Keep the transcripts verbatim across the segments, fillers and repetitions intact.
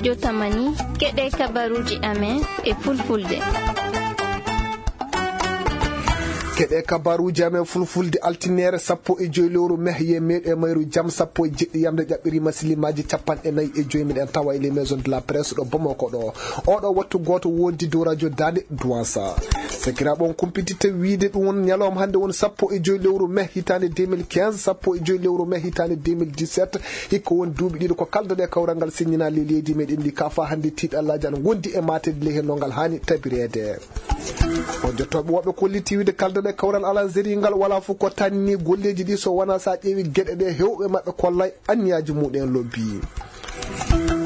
Jotamani, keɗe kabaruuji amen e fulfulde. Keɗe kabaruuji amen fulfulde, altineere sappo e joy lewru mehye, meeɗo e mayru jam sappo e jeɗɗi yamde ƴaɓɓiri masilimaaji capanɗe nayi e joy. Miɗen tawa e les maisons de la presse ɗo Bamako ɗo. Oɗo wattu gooto wondi dow radio Daande Duwansa. Sakiraaɓe, on kumpititta wiide ɗum won ñalawma hannde won sappo e joy lewru mai hitaande deux mille quinze, sappo e joy lewru mai hitaande deux mille dix-sept. Hikko won duuɓi ɗiɗi ko kaldoɗe kawral ngal siññina le leydi meɗen ndi, ka fa hannde tiiɗallaaji ana ngondi e mateede ley hen no ngal haani tabireede. On jottooɓe woɓɓe kolliti wiide kaldoɗe kawral Alanzeri ngal wala fof ko tanni golleeji ɗi so wona sa ƴeewi geɗe ɗe hewɓe maɓɓe kollay anniyaaji muɗen lobbi.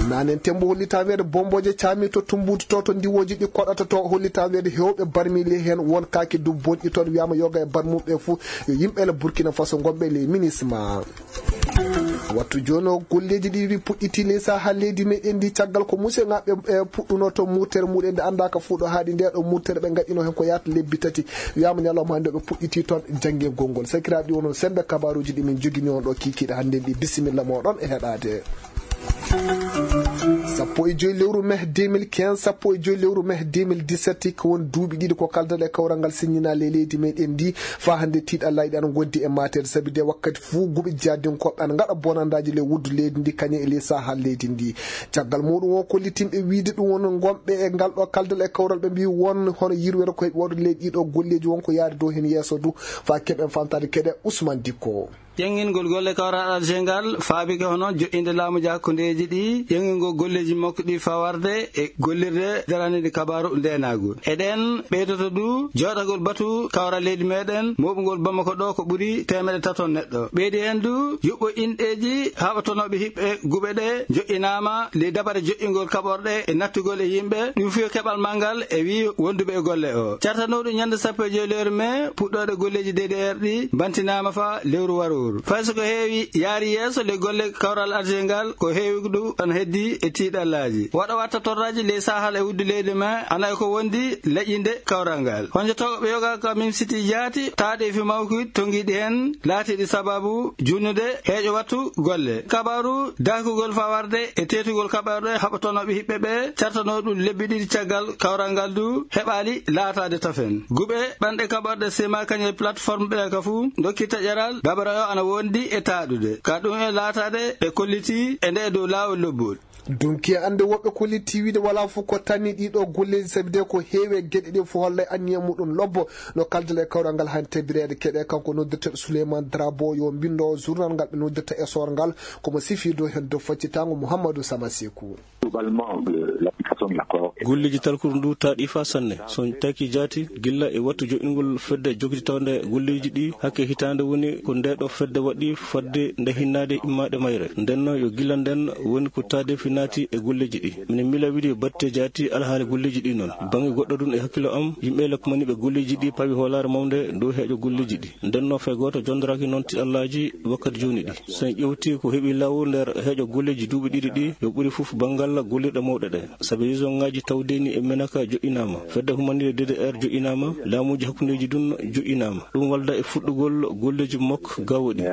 Nanen tembo hollita weede bombooje caami to Tumbutu to, to ndiwooji ɗi koɗata to, hollita weede hewɓe barmi ley hen won kaake du bonƴi toon, wiyama yoga e barmuɓe fuu yo yimɓe le Burkina Faso gonɓe ley minisma. Wattu jooni o golleeji ɗi wi puɗɗiti ley saha leydi meɗen ndi caggal ko museŋaɓe e puɗɗuno to murtere muɗen nde annda ka fuu ɗo haaɗi nde ɗo murtere ɓe gaɗino hen ko yaata lebbi tati, wiyama ñalawma hannde ɓe puɗɗiti toon janngingol ngol. Sakiraaɓe, ɗi wono sembe kabaruuji ɗi min jogini on ɗo kikiiɗe hannde ɗi. Bisimilla moɗon e heɗaade. Sappo e joy lewru mai deux mille quinze, sappo e joy lewru mai deux mille dix-sept, ko won duuɓi ɗiɗi ko kaldoɗe kawral ngal siññina ley leydi meɗen ndi. Fa hannde tiiɗallaaji ɗi ana ngondi e mateede, sabi de wakkati fuu guɓe jihadinkoɓe ana ngaɗa bonandaaji ley wuddu leydi ndi, kañum e ley saha leydi ndi. Caggal muɗum won kollitinɓe wiide ɗum won gonɓe e ngal ɗo kaldal e kawral ɓe mbi won hono yirwere ko heɓi waɗude ley ɗiɗo golleeji won ko yaade dow heen yeeso du. Fa keɓen famtaade keɗe Ousmane Dikko. Ƴeŋngingol golle kawral Alger ngal faabike hono joƴƴinde laamuuji hakkundeeji ɗi, ƴeŋngingol golleeji makko ɗi fawarde e gollirde daraniiɗe kabaaru ndeenaagu. E ɗeen ɓeydoto du jooɗagol batu kawral leydi meɗen mooɓungol Bamako ɗo ko ɓuri teemeɗɗe tato neɗɗo. Ɓeydi heen du yuɓɓo inɗeeji haɓatonooɓe hiɓɓe guɓe ɗe joƴƴinaama ley dabare joƴƴingol kaɓorɗe e nattugol e yimɓe, ɗum fiyo keɓal manngal e wii wonduɓe e golle o. Cartanooɗo ñannde sappo e joy lewru mai puɗɗooɗe golleeji D D R ɗi bantinaama fa lewru warooru. Fay so ko heewi yaari yeeso ley golle kawral Alger ngal, ko heewi ɗum ana heddi e tiiɗallaaji. Waɗa watta torraaji ley sahal e wuddu leydi mai ana e ko wondi leƴƴinde kawral ngal. Honjotooɓe yoga ka Mim Siti jaati taaɗeefi mawki tongiiɗi heen laatiiɗi sababu junnude heeƴo wattu golle. Kabaaru daakugol fawarde e teetugol kaɓorɗe haɓatonooɓe hiɓɓe ɓe cartanoo ɗum lebbi ɗiɗi caggal kawral ngal du heɓaali laataade tafen. Guɓe ɓanɗe kaɓorɗe sema kañum e plateforme ɓe ka fuu dokki taƴaral dabara o ana wondi e taaɗude. Ka ɗum e laataade ɓe kolliti e nde dow laawol lobbol. Dunki e annde woɓɓe kolliti wiide wala fof ko tanni ɗiɗo golleeji, sabi de ko heewi e geɗe ɗe fof hollay anniya muɗum lobbo. No kaldal e kawral ngal han tebireede keɗe kanko noddirteɗo Souleymane Drabo yo mbindo journal ngal ɓe noddirta e soor ngal, komo sifi dow hen dow faccitango Mouhamadou Sama Sekou. Globalement, le- l'application de l'accord. Golleeji talkuru ndu taaɗi fa sanne. So taki jaati gilla e wattu joɗɗingol fedde jokititawde golleeji ɗi hakke hitaande woni ko nde ɗo fedde waɗi fadde nde hinnaade immaade mayre. Nden no yo gilla nden woni ko taadeefi naati e golleeji ɗi. Minen mila wiide batte jaati alhaali golleeji ɗi noon. Bannge goɗɗo ɗum e hakkilo am, yimɓe le kumaniiɓe golleeji ɗi pawi hoolaare mawnde dow heeƴo golleeji ɗi. Nden no fay gooto jondoraaki noon tiɗallaaji wakkati jooni ɗi. So en ƴeewti ko heɓi law nder heeƴo golleeji duuɓi ɗiɗi ɗi, yo ɓuri fof banngal gollirɗe mawɗe ɗe. Sabi région ŋaaji tawdeeni e Menaka joɗɗinaama, fedde humaniire D D R joɗɗinaama, laamuuji hakkundeeji ɗum joɗɗinaama. Ɗum walda e fuɗɗugol golleeji mok gawoɗi.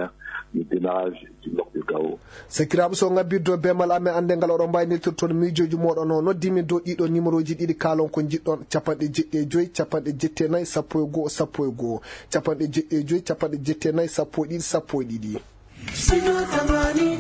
Le démarrage du mok de Gao. Sakiraaɓe, so ngabbirde bemal amen annde ngal oɗon mbawi neltirde toon miijooji mooɗon o noddi min dow ɗiɗo numéro ji ɗiɗi kaalon ko njiɗɗon, capanɗe jeɗɗi e joyi, capanɗe jeɗɗi e nayi, sappo e go'o, sappo e go'o, capanɗe jeɗɗi e joyi, capanɗe jeɗɗi e nayi, sappo e ɗiɗi, sappo e ɗiɗi.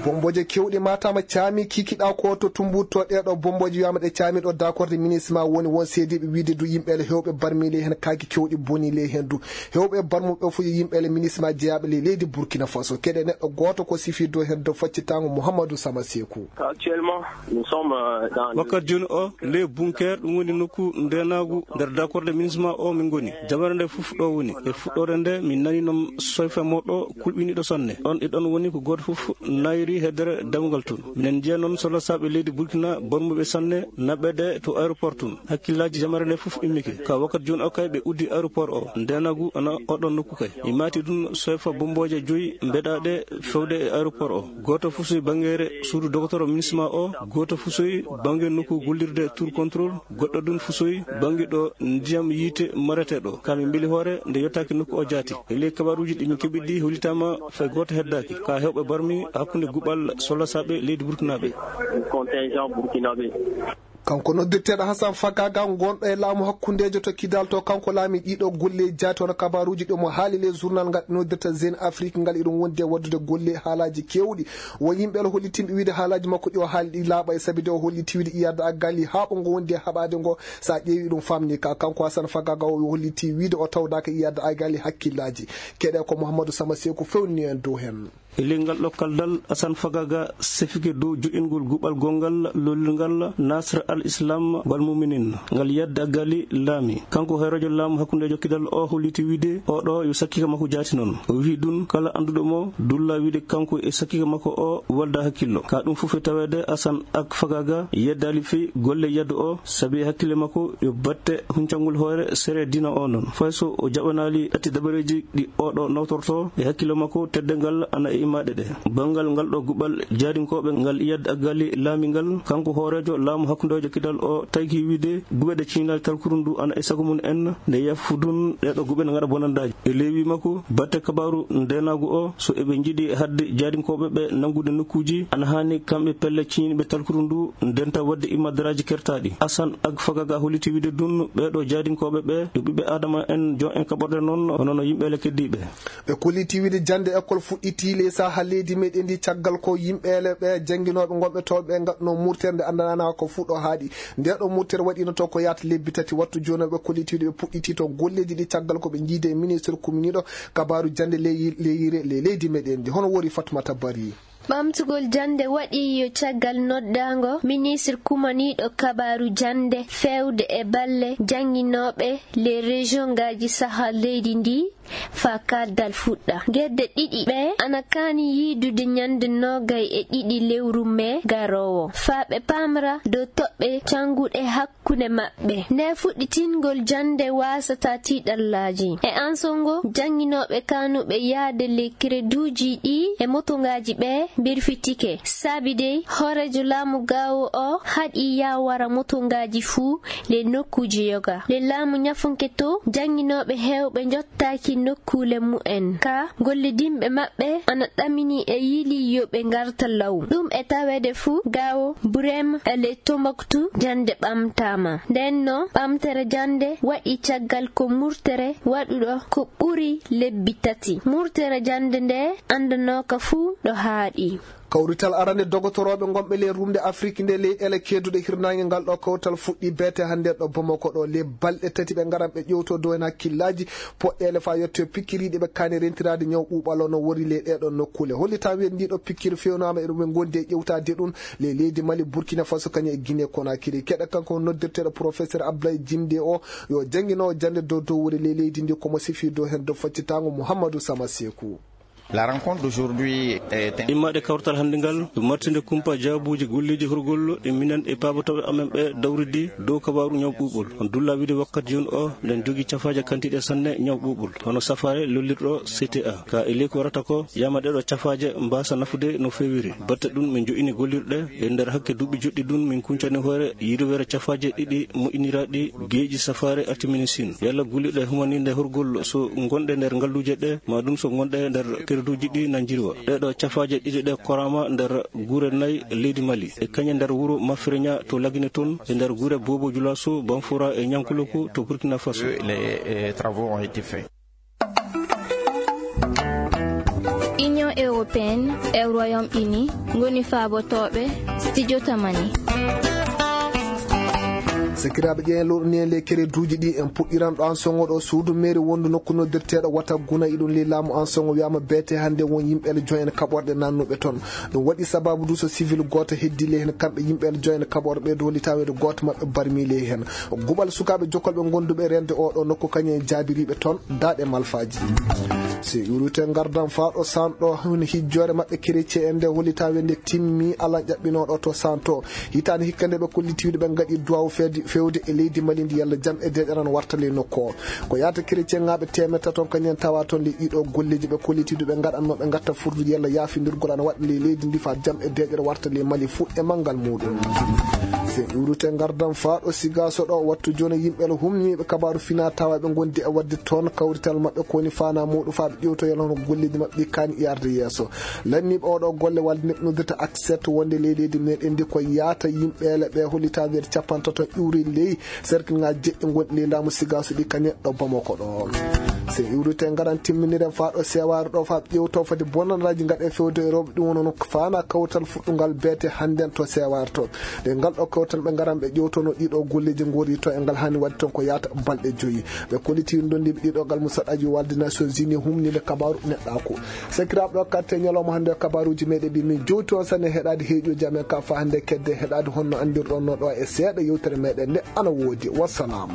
Bombooje kewɗe matama caami kikiɗa ko to Tumbuktu, ɗeɗo bombooje wiyama ɗe caami ɗo dakorde minisma woni won seediɓe wiide du yimɓe ele hewɓe barmi ley hen kaaki kewɗi boni ley hen du. Hewɓe barmuɓe fof yo yimɓe ele minisma jeyaɓe ley leydi Burkina Faso. Keɗe neɗɗo gooto ko sifi dow hen dow faccitango Mouhamadou Sama Sekou. Actuellement, nous sommes, euh, dans le Wakkati jooni o, ley bunker, ɗum woni nokku ndenaagu nder dakorde minisma o min ngoni. Jamare nde fof ɗo woni. E fuɗɗoore nde, min nani noon soyfa moɗo kulɓiniɗo sanne. Ɗon e ɗon woni ko gooto fof nayri heddere dammugal toon. Minen njiya noon sohla saaɓe leydi Burkina bormuɓe sanne naɓɓeede to aéroport toon. Hakkillaaji jamare nde fof immike. Ka wakkati jooni o kay ɓe uddi aéroport o. Ndenaagu ana oɗon nokku kay. Mi maati ɗum soyfa bombooje joyi mbeɗaaɗe fewde e aéroport o. Gooto fusoyi banngeere suudu dogotoro minisma o, gooto fusoyi bannge nokku gollirde tour contrôle, goɗɗo ɗum fusoyi bannge ɗo ndiyam yiite marete ɗo. Ka min mbeli hoore nde yottaaki nokku o jaati. E ley kabaruuji ɗi min keɓi ɗi hollitaama fay gooto heddaaki. Ka hewɓe barmi hakkunde Bal solasaaɓe leydi Burkinaaɓe. Kanko noddirteeɗo Hasan Fagaga, gonɗo e laamu hakkundeejo to Kidal, to kanko laami ɗiɗo golle jaati, hono kabaaruuji ɗi mo haali le journal ngal noddirta Jeune Afrique ngal, iɗum wondi e waɗdude golle haalaaji keewɗi. Wo yimɓe ala hollitimɓe wiide haalaaji makko ɗi o haali ɗi laaɓa e sabi de o holliti wiide iyadde aggali haa ɓo ngo wondi e haɓaade ngo. So a ƴeewi ɗum famni ka, kanko Hasan Fagaga o holliti wiide o tawdaaka iyadde aggali hakkillaaji. Keɗe ko Mouhamadou Sama Seku fewni en dow heen. E ley ngal ɗo kaldal, Asan Fagaga sefike dow joƴƴingol guɓal gonngal lollirngal Nasr al Islam wal Muminin, ngal yadde aggali laami. Kanko hoyreejo laamu hakkundeejo Kidal o holliti wiide o ɗo yo sakkika makko jaati noon. O wi'i ɗum kala annduɗo mo dulla wiide kanko e sakkika makko o walda hakkillo. Ka ɗum fof e taweede Asan ak Fagaga yeddaali fii golle yaddu o, sabi e hakkille makko yo batte huncangol hoore sere diina o noon. Fay so o jaɓanaali ɗatti dabareeji ɗi oɗo nawtorto e hakkille makko, teddeengal ana e immaade ɗe. Banngal ngal ɗo guɓal jaadinkooɓe ngal iyadde aggali laamingal, kanko hooreejo laamu hakkundeejo Kidal o tawki wiide guɓeɗe ciñnaali talkuru ndu ana e sago mum en nde yafudun ɗeɗo guɓe ne ngaɗa bonandaaji. E leewi makko, batte kabaaru ndeenaagu o, so eɓe njiɗi hadde jaadinkooɓe ɓe nanngude nokkuuji, ana haani kamɓe pelle ciñinɓe talkuru ndu ndenta waɗde immadaraaji kertaaɗi. Asan ak Fagaga holliti wiide ɗum ɓeɗo jaadinkooɓe ɓe yo ɓiɓɓe Aadama en, jon en kaɓorɗe noon, hono no yimɓe le keddiiɓe. Ɓe kolliti wiide jannde école fuɗɗiti ley saha leydi meɗen ndi caggal ko yimɓe le ɓe jannginooɓe ngonɓe toon ɓe ngaɗno murtere nde anndanana ko fuɗɗo haaɗi. Nde ɗo murtere waɗino to ko yaata lebbi tati wattu jooni ɓe kolliti wiide ɓe puɗɗiti to golleeji ɗi caggal ko ɓe njiide e ministre kuminiiɗo kabaaru jannde ley, leyire, ley leydi meɗen ndi. Hono wori Fatmata Bari. Ɓamtugol jannde waɗi yo caggal noddaango ministre kumaniiɗo kabaaru jannde feewde e balle jannginooɓe les région ngaaji saha leydi ndi faa kaldal fuɗɗa. Gedde ɗiɗi ɓe ana kaani yiidude ñande noogay e ɗiɗi lewru mee garoowo faa ɓe paamra dow toɓɓe cannguɗe hakkunde maɓɓe. Nde fuɗɗitingol jannde waasata tiiɗallaaji. E an songo, jannginooɓe kaanuɓe yahde le kereduuji ɗi e motongaaji ɓe mbirfitike. Saabi dey, hooreejo laamu gaawo o haɗi yawara motongaaji fuu le nokkuuji yoga. Le laamu ñafunke to, jannginooɓe heewɓe njottaaki nokkuule mu'en. Ka gollidinɓe maɓɓe ana ɗamini e yili yo ɓe ngarta law. Ɗum e taweede fuu gaawo Burem e le Tombouctou jannde ɓamtaama. Nden no ɓamtere jannde waɗi caggal ko murtere waɗuɗo ko ɓuri lebbi tati. Murtere jannde nde anndanooka fuu ɗo haaɗi. Kawrital arande dogotorooɓe ngonɓe ley rumde Afrik nde leyɗeele keedduɗe hirnaange ngal ɗo kawtal fuɗɗi beete hannde ɗo Bamako ɗo. Le balɗe tati ɓe ngaran ɓe ƴewto dow en hakkillaaji poɗɗeele faa yetto pikkiriiɗi ɓe kaani rentiraade ñaw ɓuuɓal o no wori ley ɗee ɗo nokkuule. Hollitaa wiyen ndii ɗo pikkiri fewnaama e ɗum ɓe ngondi e ƴewtaade ɗum ley leydi Mali, Burkina Faso, kañum e Guinée Conakry. Keɗe kanko noddirteeɗo professeur Abdoulaye Jimde o yo jannginoowo jannde dow dow wuri ley leydi ndi ko mo sifii dow heen dow faccitaango Mouhamadou Sama Seku. La rencontre d'aujourd'hui est un Immaade kawrital hannde ngal, ɗum martinde kumpa jaabuuji golleeji horgol e minen e paabotooɓe amen ɓe dawridi dow kabaaru ñaw ɓuuɓol. On dulla wiide wakkati jooni o, ɗen jogii cafaaje kantiiɗe sanne ñaw ɓuuɓol, hono safaare lollirɗo C T A. Ka e ley ko warata ko, yama ɗeɗo cafaaje mbaasa nafude no feewiri. Batte ɗum, min jo'ini gollirɗe e nder hakke duuɓi joɗɗi ɗum, min kuncani hoore yirwere cafaaje ɗiɗi moƴƴiniraaɗi geeƴi safaare artiminisin. Yalla gollirɗe humaniinde horgol so ngonɗe nder ngalluuje ɗe, ma ɗum so ngonɗe nder kerduuji ɗi na njirwa. Ɗeɗo cafaaje ɗiɗi ɗe koraama nder gure nayi leydi Mali, e kañe nder wuro Mafreña to Lagine toon, e nder gure Bobo Julaso, Banfura e Ñankuloku to Burkina Faso. Les, euh, travaux ont été faits. Union européenne e Royaume-Uni ngoni faabotooɓe Studio Tamani. Sakiraaɓe, ƴeewen lowɗo ni en ley kereduuji ɗi en puɗɗiran ɗo an songo ɗo suudu meeri wondu nokku noddirteeɗo wata guna iɗum ley laamu an songo wiyaama beete hannde won yimɓe ele joyen kaɓorɗe nannuɓe toon. Ɗum waɗi sababu du so civil gooto heddi ley heen kamɓe yimɓe ele joyen kaɓorɗe ɓe du holli taweede gooto maɓɓe barmi ley heen. Guɓal sukaaɓe jokkolɓe gonduɓe rende o ɗo nokku kañum e jaabiriiɓe toon daaɗe malfaaji. Si ƴuurute ngardan faa ɗo sanɗo hino hijjoore maɓɓe kerecee en nde holli taweede nde timmi alan ƴaɓɓinooɗo to santo. Hitaande hikka nde ɓe kolliti wiide ɓe ngaɗi duwawu feede fewde e leydi Mali ndi, yalla jam e deeƴere ana warta ley nokku o. Ko yaata chrétienŋaaɓe teemeɗɗe tati on kañum en tawa toon ley ɗiɗo golleeji ɓe kolliti ɗo ɓe ngaɗanno ɓe ngatta furdude yalla yaafindirgol ana waɗa ley leydi ndi faa jam e deeƴere warta ley Mali fuu e manngal muuɗum. Sen iwrite ngardan faa ɗo Sigaaso ɗo, wattu jooni yimɓe la humniiɓe kabaaru fina tawa ɓe ngondi e waɗde toon kawrital maɓɓe ko woni faanaa muuɗum faa ɓe ƴewto yalla hono golleeji maɓɓe ɗi kaani yarde yeeso. Lanniiɓe oɗo golle walde neɗɗo noddata Access wonde ley leydi meɗen ndi ko yaata yimɓe le ɓe hollitaade nder capanɗe tati iwri ley serkilŋaaji jeɗɗi gonɗi ley laamu Sigaaso ɗi kañum ɗo Bamako ɗo. Sen iwrite ngaran timminiren faa ɗo seewaare ɗo faa ɓe ƴewto foti bonanaaji ngaɗe fewde e rewɓe ɗum woni no faanaa kawtal fuɗɗungal beete hannden to seewaare to. Ɗe ngal ɗo kawtal ɓe ngaran ɓe ƴewtono ɗiɗo golleeji ngori to e ngal hani waɗde toon ko yaata balɗe joyi. Ɓe kolliti ndondiiɓe ɗiɗo ngal musaɗaji walde Nations Unies humniiɓe kabaaru neɗɗaaku. Sakiraaɓe ɗo katte ñalawma hannde o kabaaruuji meɗen ɗi min jowti on sanne heɗaade heeƴooji amen ka faa hannde kedde heɗaade honno anndirɗon no ɗo e seeɗa yewtere meɗen nde ana woodi. Wassalam.